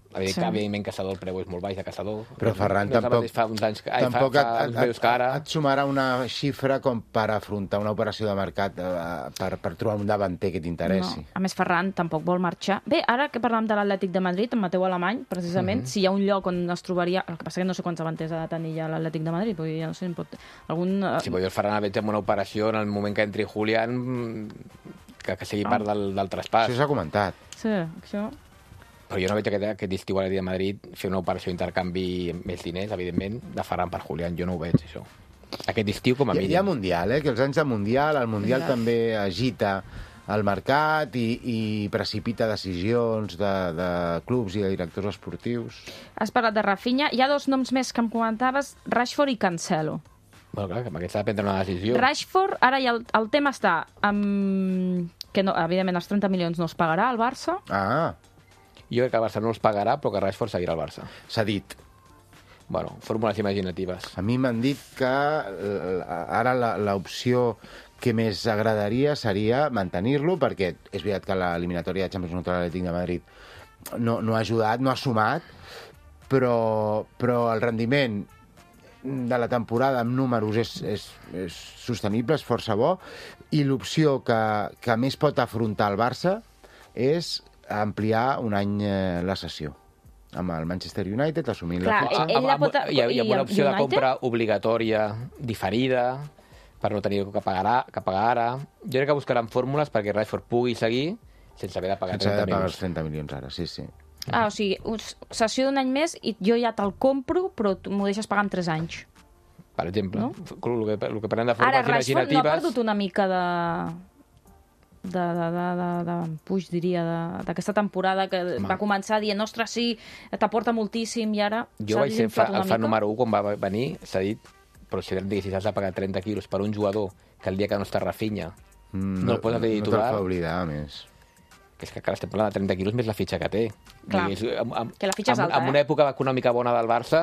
[SPEAKER 2] Sí.
[SPEAKER 3] evidentment Caçador el preu és molt baix de Caçador.
[SPEAKER 4] Però Ferran
[SPEAKER 3] no, no
[SPEAKER 4] tampoc,
[SPEAKER 3] fa uns anys que, ai,
[SPEAKER 4] tampoc
[SPEAKER 3] fa, fa
[SPEAKER 4] et,
[SPEAKER 3] uns mesos que ara...
[SPEAKER 4] et, et sumarà una xifra com per afrontar una operació de mercat, eh, per, per trobar un davanter que t'interessi.
[SPEAKER 2] No. A més, Ferran tampoc vol marxar. Bé, ara que parlàvem de l'Atlètic de Madrid, en Mateu Alemany, precisament, mm -hmm. si hi ha un lloc on es trobaria... El que passa que no sé quants davanters ha de tenir ja l'Atlètic de Madrid, perquè ja no sé, en pot... Algun...
[SPEAKER 3] Si vull dir, el Ferran el veig amb una operació en el moment que entri Julián, que, que sigui part del, del traspàs.
[SPEAKER 4] Això s'ha comentat.
[SPEAKER 2] Sí, això...
[SPEAKER 3] Però jo no veig aquest, aquest estiu a l'Atlètic de Madrid fer una operació d'intercanvi amb més diners, evidentment, de Ferran per Julián. Jo no ho veig, això. Aquest estiu, com a
[SPEAKER 4] Hi,
[SPEAKER 3] mínim.
[SPEAKER 4] hi ha Mundial, eh? Que els anys de Mundial, el Mundial
[SPEAKER 2] Exacte.
[SPEAKER 4] també agita el mercat i, i precipita decisions de, de clubs i de directors esportius.
[SPEAKER 2] Has parlat de Rafinha. Hi ha dos noms més que em comentaves, Rashford i Cancelo.
[SPEAKER 3] Bueno, clar, que amb aquest s'ha de prendre una decisió.
[SPEAKER 2] Rashford, ara ja el, el tema està amb... que no, evidentment els trenta milions no es pagarà al Barça.
[SPEAKER 4] Ah,
[SPEAKER 3] Jo crec que el Barça no els pagarà, però que Rashford seguirà al Barça.
[SPEAKER 4] s'ha dit.
[SPEAKER 3] Bueno, fórmules imaginatives.
[SPEAKER 4] A mi m'han dit que eh, ara la- l'opció que més agradaria seria mantenir-lo, perquè és veritat que l'eliminatòria de Champions contra l'Atlètic de Madrid no, no ha ajudat, no ha sumat, però, però el rendiment de la temporada amb números és, és, és sostenible, és força bo, i l'opció que, que més pot afrontar el Barça és ampliar un any eh, la sessió amb el Manchester United, assumint
[SPEAKER 2] Clar,
[SPEAKER 4] la fitxa.
[SPEAKER 2] ell la pot-
[SPEAKER 3] hi, ha, hi ha
[SPEAKER 2] i
[SPEAKER 3] una
[SPEAKER 2] el
[SPEAKER 3] opció de
[SPEAKER 2] United?
[SPEAKER 3] compra obligatòria, diferida, per no tenir que pagar, que pagar ara. Jo crec que buscaran fórmules perquè Rashford pugui seguir sense haver de pagar
[SPEAKER 4] Sense haver
[SPEAKER 3] trenta
[SPEAKER 4] de pagar els
[SPEAKER 3] milions.
[SPEAKER 4] trenta milions ara, sí, sí.
[SPEAKER 2] Ah, o sigui, us- sessió d'un any més i jo ja te'l compro, però tu m'ho deixes pagar en tres anys.
[SPEAKER 3] Per exemple,
[SPEAKER 2] No?
[SPEAKER 3] el, que, el que prenem de
[SPEAKER 2] Ara,
[SPEAKER 3] fórmules
[SPEAKER 2] Rashford no ha
[SPEAKER 3] imaginatives...
[SPEAKER 2] perdut una mica de... de, de, de, de, de puix, diria, de- d'aquesta temporada que
[SPEAKER 3] Home.
[SPEAKER 2] va començar dient, ostres, sí, t'aporta moltíssim i ara
[SPEAKER 3] Jo
[SPEAKER 2] s'ha
[SPEAKER 3] vaig ser fa,
[SPEAKER 2] desinflat una
[SPEAKER 3] el fan
[SPEAKER 2] mica.
[SPEAKER 3] número un quan va venir, s'ha dit, però si diguessis, has de pagar trenta quilos per un jugador que el dia que no està Rafinha
[SPEAKER 4] Mm,
[SPEAKER 3] no el poses de
[SPEAKER 4] No te'l
[SPEAKER 3] titular,
[SPEAKER 4] fa oblidar, a més.
[SPEAKER 3] que és que encara estem parlant de trenta quilos més la fitxa que té.
[SPEAKER 2] Clar,
[SPEAKER 3] I és, amb, amb,
[SPEAKER 2] que la fitxa és
[SPEAKER 3] amb,
[SPEAKER 2] alta,
[SPEAKER 3] amb
[SPEAKER 2] eh?
[SPEAKER 3] una època econòmica bona del Barça,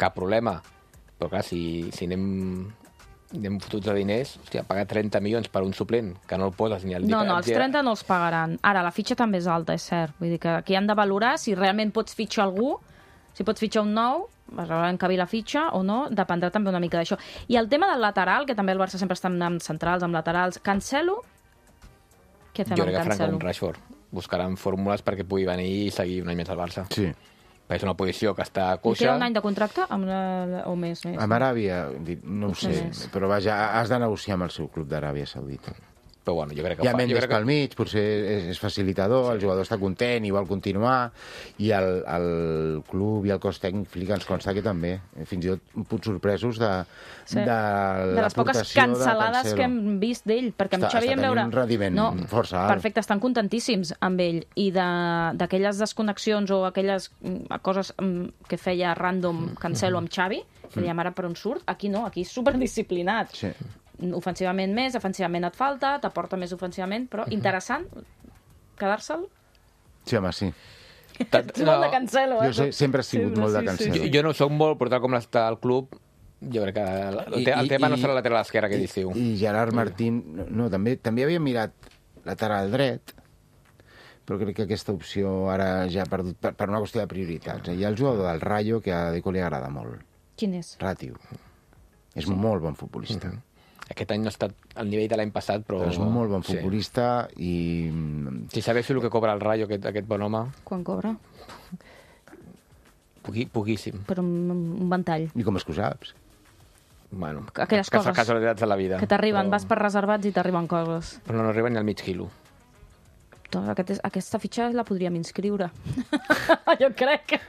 [SPEAKER 3] cap problema. Però clar, si, si anem, anem fotuts de diners, hòstia, pagar trenta milions per un suplent, que no el poses ni al dia...
[SPEAKER 2] No, no,
[SPEAKER 3] al
[SPEAKER 2] els
[SPEAKER 3] dia-
[SPEAKER 2] trenta no els pagaran. Ara, la fitxa també és alta, és cert. Vull dir que aquí han de valorar si realment pots fitxar algú, si pots fitxar un nou, vas veure encabir la fitxa o no, dependrà també una mica d'això. I el tema del lateral, que també el Barça sempre està amb centrals, amb laterals, Cancelo, què fem
[SPEAKER 3] Jo
[SPEAKER 2] amb
[SPEAKER 3] crec que faran
[SPEAKER 2] Cancelo?
[SPEAKER 3] com Rashford. Buscaran fórmules perquè pugui venir i seguir un any més al Barça.
[SPEAKER 4] Sí.
[SPEAKER 3] Perquè és una posició que està
[SPEAKER 2] Li
[SPEAKER 3] coixa.
[SPEAKER 2] queda un any de contracte amb la... o més? més?
[SPEAKER 4] Amb Aràbia, di- no ho
[SPEAKER 2] Potser
[SPEAKER 4] sé,
[SPEAKER 2] més.
[SPEAKER 4] però vaja, has de negociar amb el seu club d'Aràbia Saudita.
[SPEAKER 3] Però bueno, jo crec que
[SPEAKER 4] Hi ha
[SPEAKER 3] ho fa. Jo
[SPEAKER 4] Mendes
[SPEAKER 3] crec que...
[SPEAKER 4] pel mig, potser és, és facilitador, el jugador està content i vol continuar, i el, el club i el cos tècnic ens consta que també, fins i tot un punt sorpresos de,
[SPEAKER 2] Sí.
[SPEAKER 4] de,
[SPEAKER 2] de les poques
[SPEAKER 4] l'aportació de
[SPEAKER 2] cancel·lades
[SPEAKER 4] Cancelo.
[SPEAKER 2] que hem vist d'ell, perquè amb
[SPEAKER 4] Està-
[SPEAKER 2] Xavi
[SPEAKER 4] està
[SPEAKER 2] vam veure...
[SPEAKER 4] tenint un rendiment força alt.
[SPEAKER 2] Perfecte, estan contentíssims amb ell. I de- d'aquelles desconnexions o aquelles mm, coses mm, que feia random Cancelo amb Xavi, que dèiem ara per on surt, aquí no, aquí és superdisciplinat.
[SPEAKER 4] Sí.
[SPEAKER 2] Ofensivament més, defensivament et falta, t'aporta més ofensivament, però interessant quedar-se'l.
[SPEAKER 4] Sí, home, sí.
[SPEAKER 3] Tant-
[SPEAKER 2] Ets molt de Cancelo, eh?
[SPEAKER 4] Jo sé, sempre he sigut
[SPEAKER 2] Sempre,
[SPEAKER 4] molt de
[SPEAKER 2] sí, sí,
[SPEAKER 4] Cancelo.
[SPEAKER 3] Jo, jo no sóc molt, però tal com està el club, jo crec que el, el, te- el tema no serà la lateral esquerra aquest estiu.
[SPEAKER 4] I, i Gerard Martín, no, no, també, també havia mirat lateral dret, però crec que aquesta opció ara ja ha perdut per, per una qüestió de prioritats. Hi ha el jugador del Rayo que a Deco li agrada molt,
[SPEAKER 2] Quin és?
[SPEAKER 4] Ratiu. És un molt bon futbolista.
[SPEAKER 3] Mhm. Aquest any no ha estat al nivell de l'any passat, però...
[SPEAKER 4] Però és un molt bon
[SPEAKER 3] Sí.
[SPEAKER 4] futbolista i...
[SPEAKER 3] Si sabés el que cobra el Rayo, aquest, aquest bon home,
[SPEAKER 2] Quan cobra?
[SPEAKER 3] poqui, poquíssim.
[SPEAKER 2] Per un, un ventall.
[SPEAKER 4] I com és que ho saps?
[SPEAKER 3] Bueno,
[SPEAKER 2] Aquelles
[SPEAKER 3] cas-
[SPEAKER 2] coses
[SPEAKER 3] casualitats de la vida.
[SPEAKER 2] Que t'arriben,
[SPEAKER 3] però,
[SPEAKER 2] vas per reservats i t'arriben coses.
[SPEAKER 3] Però no arriben ni al mig quilo.
[SPEAKER 2] Doncs aquest és, aquesta fitxa la podríem inscriure. jo crec que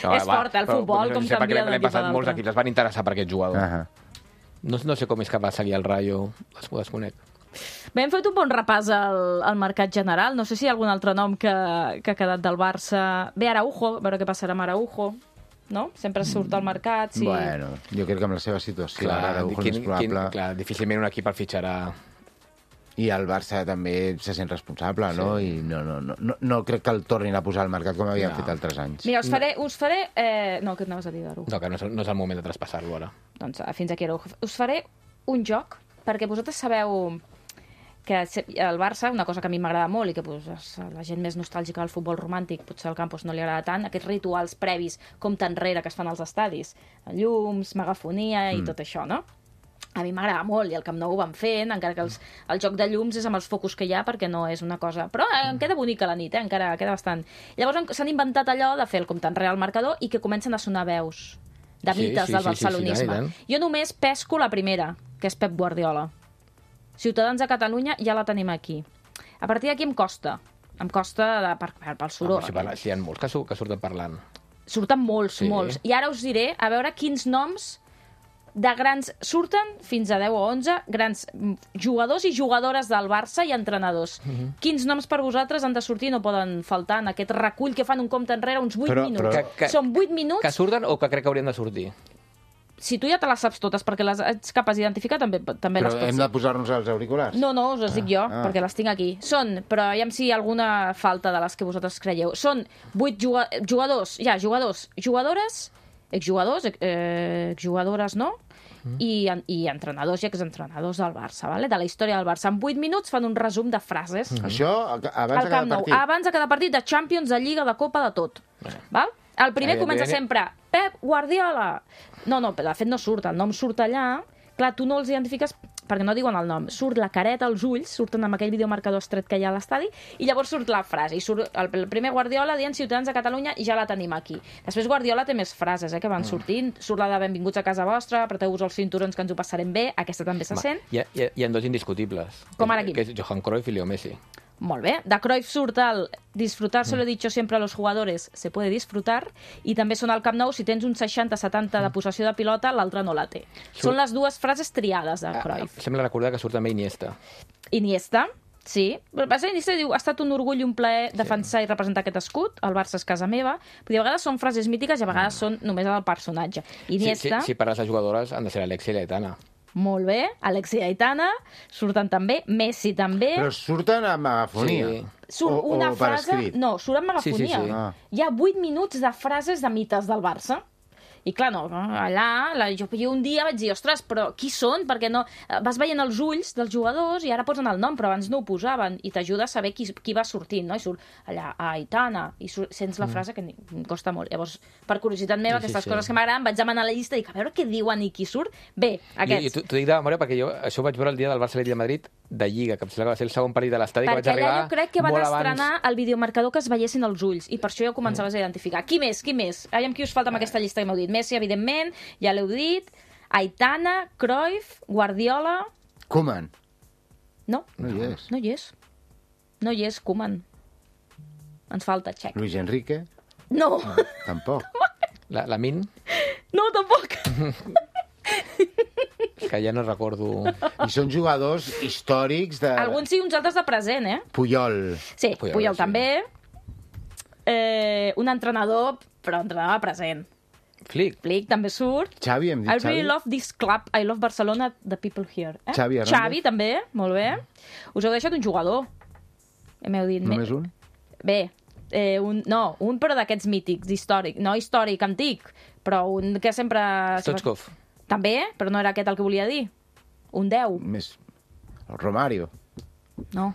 [SPEAKER 3] No,
[SPEAKER 2] és
[SPEAKER 3] va,
[SPEAKER 2] fort, eh, el
[SPEAKER 3] però
[SPEAKER 2] futbol,
[SPEAKER 3] no
[SPEAKER 2] com
[SPEAKER 3] sé, perquè
[SPEAKER 2] canvia
[SPEAKER 3] l'any
[SPEAKER 2] d'un equip a
[SPEAKER 3] passat molts
[SPEAKER 2] l'altre.
[SPEAKER 3] equips es van interessar per aquest jugador.
[SPEAKER 4] Ahà.
[SPEAKER 3] No, no sé com és que va seguir el Rayo, es ho desconec.
[SPEAKER 2] Bé, hem fet un bon repàs al, al mercat general. No sé si hi ha algun altre nom que, que ha quedat del Barça. Bé, Araujo, a veure què passarà amb Araujo. No? Sempre surt al mercat. Sí.
[SPEAKER 4] Bueno, jo crec que amb la seva situació
[SPEAKER 3] Clar,
[SPEAKER 4] ara Araujo
[SPEAKER 3] quin,
[SPEAKER 4] és probable.
[SPEAKER 3] quin, clar, difícilment un equip el fitxarà.
[SPEAKER 4] I el Barça també se sent responsable, no? I no, no, no, no, no crec que el tornin a posar al mercat com havien
[SPEAKER 3] No.
[SPEAKER 4] fet altres anys.
[SPEAKER 2] Mira, us faré... Us faré eh... No, què anaves a dir d'Araujo?
[SPEAKER 3] No, que no és, no és el moment de traspassar-lo ara.
[SPEAKER 2] Doncs eh, fins aquí Araujo. Us faré un joc, perquè vosaltres sabeu que el Barça, una cosa que a mi m'agrada molt i que pues, la gent més nostàlgica del futbol romàntic potser al Campos no li agrada tant, aquests rituals previs com enrere que es fan als estadis, llums, megafonia i mm. tot això, no? A mi m'agrada molt, i el Camp Nou ho van fent, encara que els, el joc de llums és amb els focus que hi ha, perquè no és una cosa... Però eh, em queda bonica la nit, eh? Encara queda bastant. Llavors s'han inventat allò de fer el compte enrere al marcador i que comencen a sonar veus de mites sí, sí, del barcelonisme. Sí, sí, sí, jo només pesco la primera, que és Pep Guardiola. Ciutadans de Catalunya ja la tenim aquí. A partir d'aquí em costa. Em costa de, per, per, pel soroll.
[SPEAKER 3] Ah, si, parla, si hi ha molts que, que surten parlant.
[SPEAKER 2] Surten molts, sí. molts. I ara us diré, a veure quins noms de grans... Surten fins a deu o onze grans jugadors i jugadores del Barça i entrenadors. Uh-huh. Quins noms per vosaltres han de sortir no poden faltar en aquest recull que fan un compte enrere uns vuit però, minuts. Però... Que, que, Són vuit minuts...
[SPEAKER 3] Que surten o que crec que haurien de sortir?
[SPEAKER 2] Si tu ja te les saps totes perquè les ets capaç d'identificar, també, també
[SPEAKER 4] però
[SPEAKER 2] les pots dir.
[SPEAKER 4] Hem de posar-nos els auriculars?
[SPEAKER 2] No, no, us les dic jo,
[SPEAKER 4] ah. perquè
[SPEAKER 2] les tinc aquí. Són, però aviam si hi ha alguna falta de les que vosaltres creieu. Són vuit jugadors, ja, jugadors, jugadores, exjugadors, eh, exjugadores, no? Mm. I, i entrenadors i exentrenadors del Barça, vale? De la història del Barça. En vuit minuts fan un resum de frases.
[SPEAKER 4] Mm. Això abans de cada partit?
[SPEAKER 2] Abans de cada partit, de Champions, de Lliga, de Copa, de tot. Mm. Val? El primer Ai, comença sempre Pep Guardiola. No, no, de fet no surt, el nom surt allà. Clar, tu no els identifiques perquè no diuen el nom. Surt la careta, els ulls, surten amb aquell videomarcador estret que hi ha a l'estadi, i llavors surt la frase. I surt el, el primer Guardiola dient Ciutadans de Catalunya i ja la tenim aquí. Després Guardiola té més frases eh, que van sortint. Surt la de benvinguts a casa vostra, apreteu-vos els cinturons que ens ho passarem bé. Aquesta també se sent.
[SPEAKER 3] Hi ha, hi ha, hi ha dos indiscutibles.
[SPEAKER 2] Com ara aquí?
[SPEAKER 3] Que és Johan Cruyff i Leo Messi.
[SPEAKER 2] Molt bé. De Cruyff surt el disfrutar, se lo he dicho siempre a los jugadores, se puede disfrutar, i també són al Camp Nou, si tens un seixanta setanta de possessió de pilota, l'altre no la té. Surt... Són les dues frases triades de Cruyff.
[SPEAKER 3] Ah, sembla recordar que surt també Iniesta.
[SPEAKER 2] Iniesta, sí. Va ser Iniesta, diu, ha estat un orgull i un plaer defensar sí. i representar aquest escut, el Barça és casa meva, però a vegades són frases mítiques i a vegades són només el personatge. Iniesta...
[SPEAKER 3] Si, si, si parles de jugadores, han de ser Alexia i Aitana.
[SPEAKER 2] Molt bé, Alexia i Aitana surten també, Messi també.
[SPEAKER 4] Però surten amb megafonia.
[SPEAKER 2] Sí. Surt
[SPEAKER 4] o,
[SPEAKER 2] una
[SPEAKER 4] o per
[SPEAKER 2] frase...
[SPEAKER 4] escrit.
[SPEAKER 2] No, surt amb megafonia.
[SPEAKER 3] Sí, sí, sí.
[SPEAKER 4] Ah.
[SPEAKER 2] Hi ha vuit minuts de frases de mites del Barça. I clar, no, allà, la, jo, jo un dia vaig dir, ostres, però qui són? Perquè no... Vas veient els ulls dels jugadors i ara posen el nom, però abans no ho posaven, i t'ajuda a saber qui, qui va sortint, no? I surt allà, a Aitana, i surt, sents la frase que em costa molt. Llavors, per curiositat meva,
[SPEAKER 3] sí,
[SPEAKER 2] aquestes
[SPEAKER 3] sí,
[SPEAKER 2] coses
[SPEAKER 3] sí.
[SPEAKER 2] que m'agraden, vaig demanar la llista i dic, a veure què diuen i qui surt. Bé, aquests.
[SPEAKER 3] Jo, jo t'ho dic de memòria perquè jo això ho vaig veure el dia del Barça-Atlètic de Madrid de Lliga, que em sembla que va ser el segon partit de l'estadi, que vaig arribar
[SPEAKER 2] allà jo crec que van
[SPEAKER 3] molt
[SPEAKER 2] estrenar
[SPEAKER 3] abans...
[SPEAKER 2] el videomarcador que es veiessin els ulls, i per això ja ho començaves a identificar. Qui més? Qui més? Aviam qui us falta amb aquesta llista que m'heu dit. Messi, evidentment, ja l'heu dit. Aitana, Cruyff, Guardiola...
[SPEAKER 4] Koeman.
[SPEAKER 2] No.
[SPEAKER 4] No hi és.
[SPEAKER 2] No hi és. No hi és, Koeman. Ens falta Txec.
[SPEAKER 4] Luis Enrique?
[SPEAKER 2] No.
[SPEAKER 4] no tampoc.
[SPEAKER 3] La, la Min?
[SPEAKER 2] No, tampoc.
[SPEAKER 3] Que ja no recordo...
[SPEAKER 4] I són jugadors històrics de...
[SPEAKER 2] Alguns sí, uns altres de present, eh?
[SPEAKER 4] Puyol.
[SPEAKER 2] Sí, Puyol, Puyol
[SPEAKER 3] sí.
[SPEAKER 2] també. Eh, un entrenador, però entrenador present.
[SPEAKER 3] Flick.
[SPEAKER 2] Flick també surt.
[SPEAKER 4] Xavi, hem dit
[SPEAKER 2] I
[SPEAKER 4] Xavi.
[SPEAKER 2] really love this club. I love Barcelona, the people here. Eh?
[SPEAKER 4] Xavi Hernández.
[SPEAKER 2] Xavi també, molt bé. Us heu deixat un jugador. M'heu dit...
[SPEAKER 4] Només un?
[SPEAKER 2] Bé, eh, un, no, un però d'aquests mítics, històric. No històric, antic, però un que sempre...
[SPEAKER 3] Stoichkov.
[SPEAKER 2] També, però no era aquest el que volia dir. Un deu.
[SPEAKER 4] Més... El Romario.
[SPEAKER 2] No.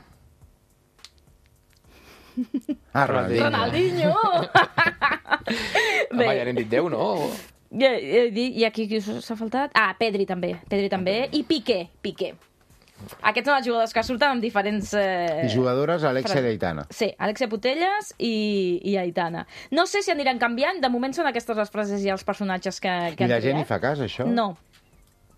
[SPEAKER 4] Ah, Ronaldinho.
[SPEAKER 2] Ronaldinho!
[SPEAKER 3] Home, ja n'hem dit deu, no?
[SPEAKER 2] I, i, i aquí qui s'ha faltat? Ah, Pedri també. Pedri també. I Piqué. Piqué. Aquests són els jugadors que surten amb diferents... Eh...
[SPEAKER 4] I jugadores, Alexia i Aitana.
[SPEAKER 2] Sí, Alexia Putellas i, i Aitana. No sé si aniran canviant, de moment són aquestes les frases i els personatges que, que
[SPEAKER 4] I la gent
[SPEAKER 2] triat.
[SPEAKER 4] hi fa cas, això?
[SPEAKER 2] No.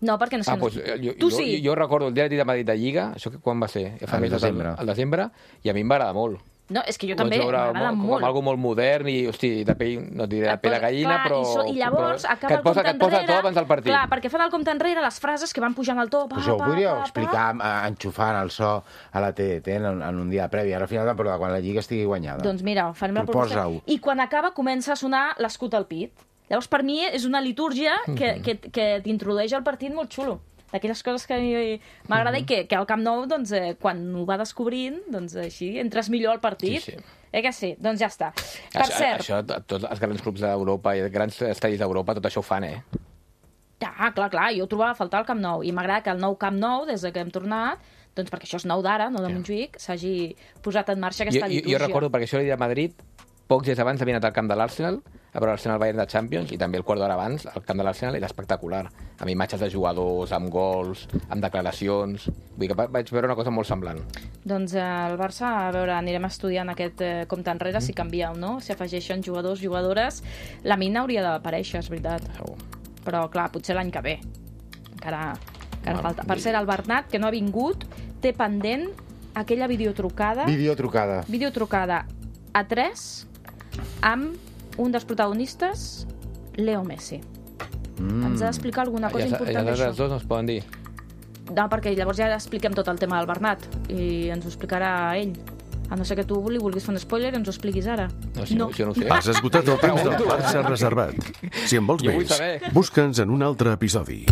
[SPEAKER 2] No, perquè no sé...
[SPEAKER 3] Ah, doncs, jo,
[SPEAKER 2] tu
[SPEAKER 3] jo,
[SPEAKER 2] sí.
[SPEAKER 3] Jo, jo recordo el dia de Madrid de Lliga, això que quan va ser? Fa
[SPEAKER 4] Al desembre.
[SPEAKER 3] Al desembre, i a mi em va agradar molt.
[SPEAKER 2] No, és que jo també m'agrada molt.
[SPEAKER 3] Com algo molt modern i, hosti, de pell, no et diré de pell de gallina,
[SPEAKER 2] clar,
[SPEAKER 3] però...
[SPEAKER 2] I, so, I llavors
[SPEAKER 3] però,
[SPEAKER 2] acaba el compte enrere...
[SPEAKER 3] Que et posa tot abans del partit.
[SPEAKER 2] Clar, perquè fan el compte enrere les frases que van pujant al to. Pa,
[SPEAKER 4] Això ho
[SPEAKER 2] pa,
[SPEAKER 4] podríeu
[SPEAKER 2] pa,
[SPEAKER 4] explicar
[SPEAKER 2] pa.
[SPEAKER 4] enxufant el so a la T D T en, en un dia previ, ara al final de temporada, quan la Lliga estigui guanyada.
[SPEAKER 2] Doncs mira, farem la proposta. I quan acaba comença a sonar l'escut al pit. Llavors, per mi, és una litúrgia que, que, que t'introdueix al partit molt xulo. D'aquelles coses que a mi m'agrada i que, que al Camp Nou, doncs, eh, quan ho va descobrint, doncs així, entres millor al partit.
[SPEAKER 3] Sí, sí.
[SPEAKER 2] Eh que sí? Doncs ja està. Per
[SPEAKER 3] això,
[SPEAKER 2] cert...
[SPEAKER 3] Això, tots els grans clubs d'Europa i els grans estadis d'Europa, tot això ho fan, eh?
[SPEAKER 2] Ah, clar, clar, jo ho trobava a faltar al Camp Nou. I m'agrada que el nou Camp Nou, des que hem tornat, doncs perquè això és nou d'ara, no de Montjuïc, s'hagi posat en marxa aquesta
[SPEAKER 3] jo,
[SPEAKER 2] litúrgia.
[SPEAKER 3] Jo recordo, perquè això l'he dit a Madrid, pocs dies abans havia anat al camp de l'Arsenal, a veure l'Arsenal Bayern de Champions, i també el quart d'hora abans, el camp de l'Arsenal era espectacular, amb imatges de jugadors, amb gols, amb declaracions... Vull dir que vaig veure una cosa molt semblant.
[SPEAKER 2] Doncs eh, el Barça, a veure, anirem estudiant aquest eh, compte enrere, mm. si canvia o no, si afegeixen jugadors, jugadores... La Mina hauria d'aparèixer, és veritat.
[SPEAKER 3] Segur.
[SPEAKER 2] Però, clar, potser l'any que ve. Encara, encara
[SPEAKER 3] Bueno,
[SPEAKER 2] falta. Per cert, el Bernat, que no ha vingut, té pendent aquella videotrucada...
[SPEAKER 4] Videotrucada.
[SPEAKER 2] Videotrucada a tres amb un dels protagonistes, Leo Messi. Mm. Ens ha d'explicar alguna cosa
[SPEAKER 3] I els,
[SPEAKER 2] important
[SPEAKER 3] i els
[SPEAKER 2] d'això.
[SPEAKER 3] altres dos no es poden dir.
[SPEAKER 2] No, perquè llavors ja expliquem tot el tema del Bernat i ens ho explicarà ell. A no ser que tu li vulguis fer un spoiler, ens ho expliquis ara.
[SPEAKER 3] No, si no. Jo no ho sé.
[SPEAKER 1] Has esgotat el temps del Barça reservat. Si en vols
[SPEAKER 3] Jo vull
[SPEAKER 1] més,
[SPEAKER 3] saber.
[SPEAKER 1] busca'ns en un altre episodi.